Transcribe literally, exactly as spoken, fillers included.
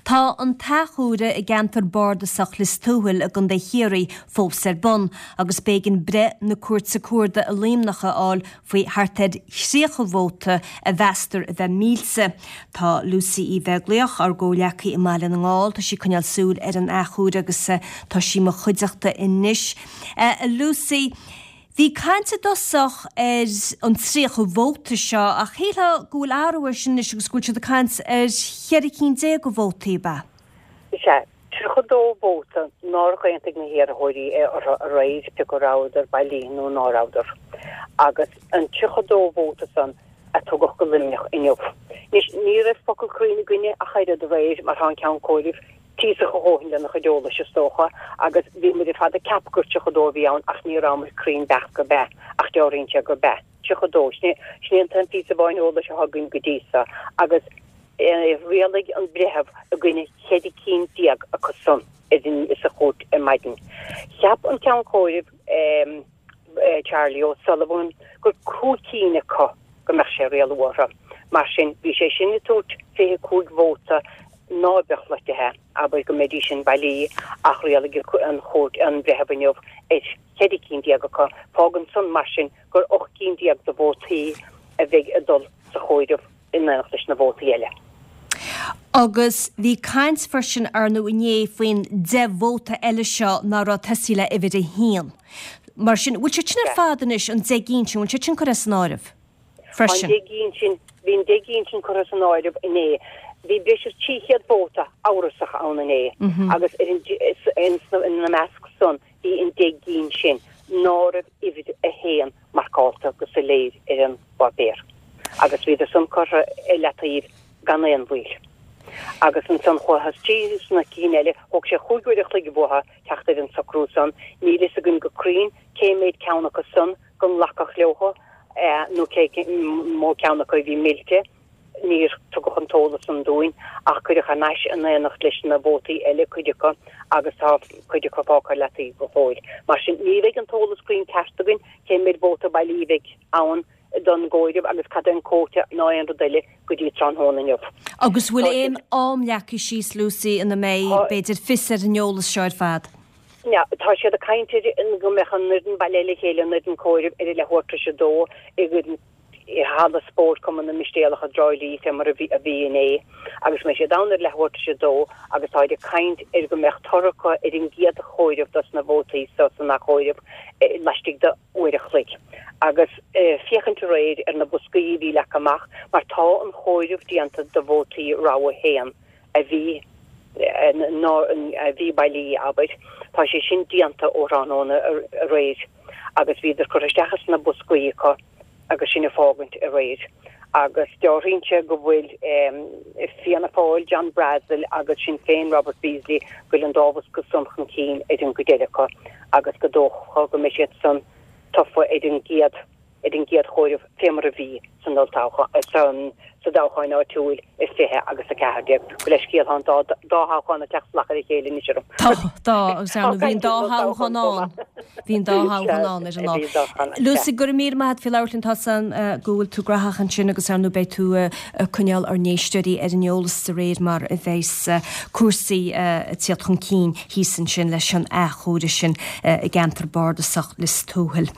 Tá an t-athchomhaireamh i gceantar bardasach Lios Tuathail i gContae Chiarraí fós ar bun agus b'éigean breith na Cúirte Cuarda i Luimneach a fháil faoi thart ar thríocha vóta a mheastar a bheith millte. Tá Lucy Uí Bheaglaoich, ár gcomhghleacaí i mBaile na nGall, tá sí ag coinneáil súil ar an athchomhaireamh agus tá sí i mo chuideachta anois. A Lucy, bhí caint i dtosach ar an tríocha vóta seo ach shílfeá go bhfuil athrú air sin anois agus go bhfuil siad ag caint ar cheithre cinn déag de vótaí, ab ea? Is ea, tríocha dó vóta nár aontaigh na hiarrthóirí orthu aréir, pé go rabhadar bailí nó ná rabhadar. Agus an tríocha dó vóta san a tugadh go Luimneach inniu. Anois, ní raibh focal cruinn againne ach oiread aréir mar tá an Ceann Comhairimh tíosach a dhóthain lena chuid eolais, is dócha, agus bhí muid ar fad ag ceapadh gur tríocha dó a bhí ann ach ní rabhamar cruinn beacht gurb ea, ach dealraíonn sé gurb ea. tríocha dó. Sin é an t-aon phíosa amháin eolais atá againn go dtí seo agus rialaigh an breitheamh i gcoinne cheithre cinn déag acu san sa chúirt ar maidin. Cheap an Ceann Comhairimh, Charlie O'Sullivan, gur cúig cinn acu go mbeadh sé ag rialú orthu. Mar sin, bhí sé sin ag tabhairt fiche cúig vóta ná beadh loitithe, abair go mbeidís sin bailí, ach rialaigh an chúirt, an breitheamh inniu ar cheithre cinn déag acu. Fágann san, mar sin, gur ocht gcinn déag de vótaí a bheidh ag dul sa chomhaireamh in éineacht leis na vótaí eile. Agus bhí caint freisin, ar ndóigh, inné faoin deich vóta eile seo ná raibh tosaithe le uimhir a haon. Mar sin, bhfuil siad sin ar fad anois, an deich gcinn sin, bhfuil siad sin curtha san áireamh freisin? An deich gcinn sin, bhí an deich gcinn sin curtha san áireamh inné. Bhí breis is trí chéad vóta amhrasach ann inné agus ar an, ina measc san bhí an deich gcinn sin ná raibh uimhir a haon marcálta go soiléir ar an bpáipéar agus bhíodar san curtha ar leataobh gan aon mhoill. Agus ansan chuathas tríd sna cinn eile, thóg sé chúig uair a chloig uathu teacht ar an socrú san. Níl fhios againn go cruinn cé méid ceann acu san go nglacadh leothu nó cé mó ceann acu a bhí millte. Níor tugadh an t-eolas san dúinn ach cuireadh thar n-ais in éineacht leis na vótaí eile cuid acu agus tá cuid acu fágtha ar leataobh go fóill. Mar sin, ní bheidh an t-eolas cruinn ceart againn cé méid vóta bailí a bheidh ann don gcomhaireamh agus cad é an quota ná aon rud eile go dtí tráthnóna inniu. Agus bhfuil aon am leagtha síos, Lucy, ina mbeidh, b'fhéidir, fios ar an eolas seo ar fad? Tá siad ag caint ar go mbeadh an fhoireann bailithe le chéile, an fhoireann comhairimh, ar a leathuair tar éis a dó i halla spóirt Chumann na Mistéalach i dTrá Lí, fé mar a bhí inné, agus go mbeidh siad ann ar leathuair tar éis a dó agus táid ag caint ar go mbeadh toradh acu ar an gcéad chomhaireamh dos na vótaí so san athchomhaireamh laistigh de uair a chloig. Agus féachaint aréir ar na boscaí a bhí leagtha amach, mar tá an chomhaireamh déanta do vótaí rogha a haon, a bhí a bhí bailí, abair. Tá sé sin déanta ó thráthnóna aréir agus bhíodar curtha isteach sna boscaí acu agus sin ag fágaint aréir. Agus dealraíonn sé go bhfuil Fianna Fáil, John Brassil agus Sinn Féin, Robert Beasley, go bhfuil an dá bhosca san chun cinn ar an gcuid eile acu agus go dócha go mbeidh siad san tofa ar an gcéad ar an gcéad chomhaireamh fé mar a bhí san olltoghchán, sa dtoghchán áitiúil i fiche agus a ceathair déag. Gabh mo leithscéal, tá an dá dá thoghchán ag teacht salach ar a chéile anois orm. Tá, tá, agus ar ndóigh bhí an dá thoghchán ann. Bhí an dá thoghchán ann ar an lá. Lucy, go raibh míle maith agat faoi labhairt linn, tá 's agam go bhfuil tú graitheach ansin agus ar ndóigh beidh tú ag coinneáil ár n-éisteoirí ar an eolas de réir mar a bheas cúrsaí ag tíocht chun cinn thíos ansin leis an athchomhaireamh sin i gceantar bardasach Lios Tuathail.